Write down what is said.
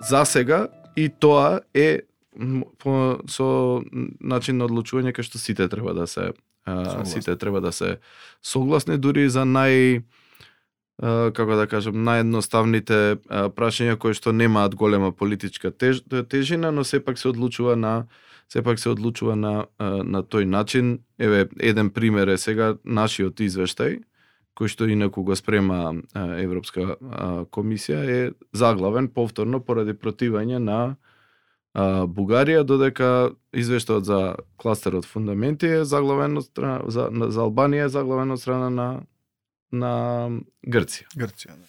за сега и тоа е со начин на одлучување кај што сите треба да се согласни, дури за како да кажем, наједноставните прашања кои што немаат голема политичка тежина, но сепак се одлучува на тој начин. Еве, еден пример е сега нашиот извештај, кој што инаку го спрема Европска комисија, е заглавен повторно поради противање на Бугарија, додека извештајот за кластерот фундаменти е заглавен од страна за Албанија, е заглавен од страна на Грција. Грција, да.